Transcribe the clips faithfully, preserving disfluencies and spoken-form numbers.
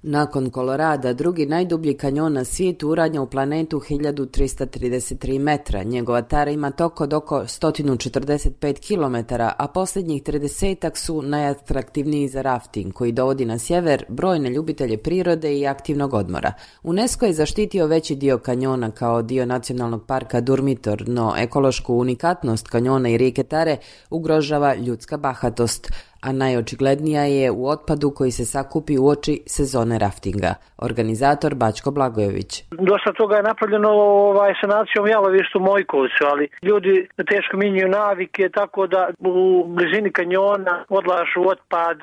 Nakon Kolorada, drugi najdublji kanjon na svijetu uranja u planetu hiljadu trista trideset tri metra. Njegova tara ima tok od oko sto četrdeset pet kilometara, a posljednjih tridesetak su najatraktivniji za rafting, koji dovodi na sjever brojne ljubitelje prirode i aktivnog odmora. UNESCO je zaštitio veći dio kanjona kao dio nacionalnog parka Durmitor, no ekološku unikatnost kanjona i rijeke Tare ugrožava ljudska bahatost, a najočiglednija je u otpadu koji se sakupi uoči sezone raftinga. Organizator Bačko Blagojević. Dosta toga je napravljeno ovaj, sanacijom jalovištu Mojkovcu, ali ljudi teško mijenjaju navike, tako da u blizini kanjona odlažu otpad,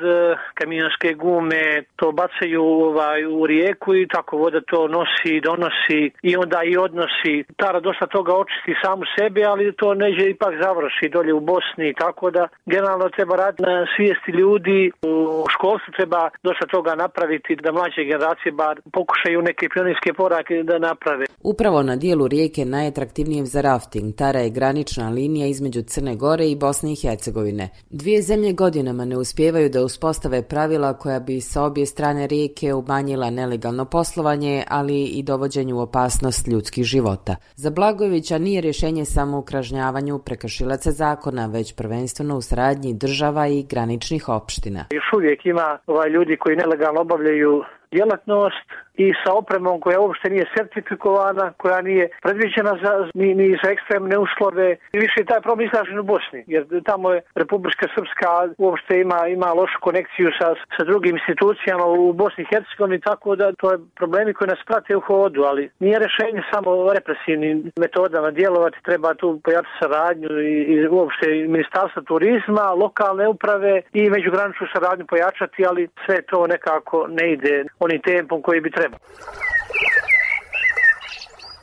kamionske gume, to bacaju ovaj, u rijeku i tako voda to nosi, donosi i onda i odnosi. Tara dosta toga očisti samu sebi, ali to neće ipak završi dolje u Bosni, tako da generalno treba raditi na svijesti ljudi. U školstvu treba dosta toga napraviti da mlađe generacije bar pokušaju neke pionirske korake da naprave. Upravo na dijelu rijeke najatraktivnijem za rafting, Tara je granična linija između Crne Gore i Bosne i Hercegovine. Dvije zemlje godinama ne uspijevaju da uspostave pravila koja bi sa obje strane rijeke umanjila nelegalno poslovanje, ali i dovođenju u opasnost ljudskih života. Za Blagojevića nije rješenje samo u kažnjavanju prekršilaca zakona, već prvenstveno u saradnji država i graničnih opština. Još uvijek ima ovaj ljudi koji nelegalno obavljaju djelatnost i sa opremom koja uopšte nije sertifikovana, koja nije predviđena za, ni, ni za ekstremne uslove. I više je taj problem izražen u Bosni, jer tamo je Republika Srpska uopšte ima, ima lošu konekciju sa, sa drugim institucijama u Bosni i Hercegovini, tako da to je problemi koji nas prate u hodu, ali nije rješenje samo represivnim metodama djelovati, treba tu pojačati saradnju i, i uopšte Ministarstva turizma, lokalne uprave i međugraničnu saradnju pojačati, ali sve to nekako ne ide onim tempom koji bi trebao.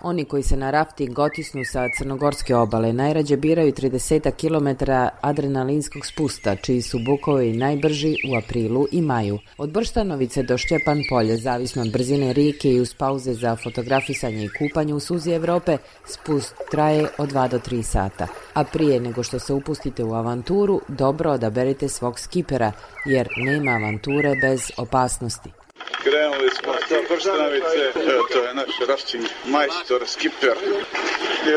Oni koji se na rafting otisnu sa crnogorske obale najrađe biraju trideset kilometara adrenalinskog spusta, čiji su bukovi najbrži u aprilu i maju. Od Brštanovice do Šćepan polje, zavisno od brzine rijeke i uz pauze za fotografisanje i kupanje u suzi Evrope, spust traje od dva do tri sata. A prije nego što se upustite u avanturu, dobro odaberite svog skipera, jer nema avanture bez opasnosti. Krenuli smo sa Brštanovice, evo to je naš rafting majstor, skiper.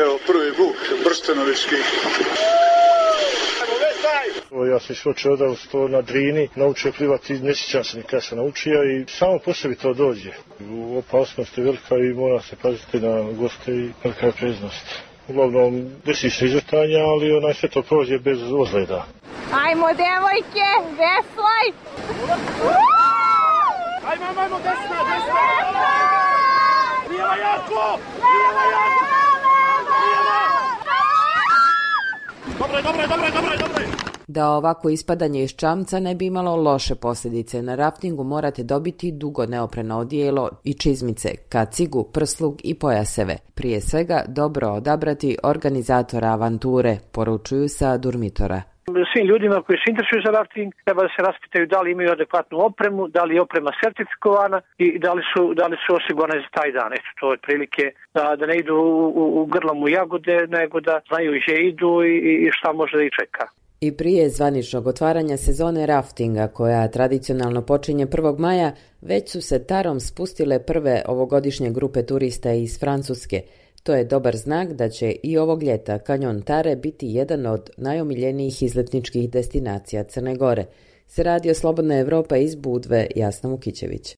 Evo prvi buk brštanovički. Ja sam išao odavno sto na Drini, naučio plivati, ne sjećam se nikada sam naučio i samo po sebi to dođe. Opasnost je velika i mora se paziti na goste i velika je preznost. Uglavnom desi se izvrtanja, ali onaj sve to prođe bez ozljeda. Ajmo devojke, veslaj! Ajmo, ajmo, ajmo, desna, desna! Lijeva jako! Lijeva jako! Lijeva! Dobre, dobre, dobre, dobre, dobre! Da ovako ispadanje iz čamca ne bi imalo loše posljedice, na raftingu morate dobiti dugo neopreno odijelo i čizmice, kacigu, prslug i pojaseve. Prije svega dobro odabrati organizatora avanture, poručuju sa Durmitora. Svim ljudima koji se interesuju za rafting treba da se raspitaju da li imaju adekvatnu opremu, da li je oprema sertifikovana i da li su, da li su osigurane za taj dan. Eto, to je prilike da, da ne idu u, u, u grlom u jagode, nego da znaju gdje idu i, i šta može da ih čeka. I prije zvaničnog otvaranja sezone raftinga, koja tradicionalno počinje prvog maja, već su se Tarom spustile prve ovogodišnje grupe turista iz Francuske. To je dobar znak da će i ovog ljeta kanjon Tare biti jedan od najomiljenijih izletničkih destinacija Crne Gore. Se radi o Slobodna Evropa iz Budve, Jasna Mukićević.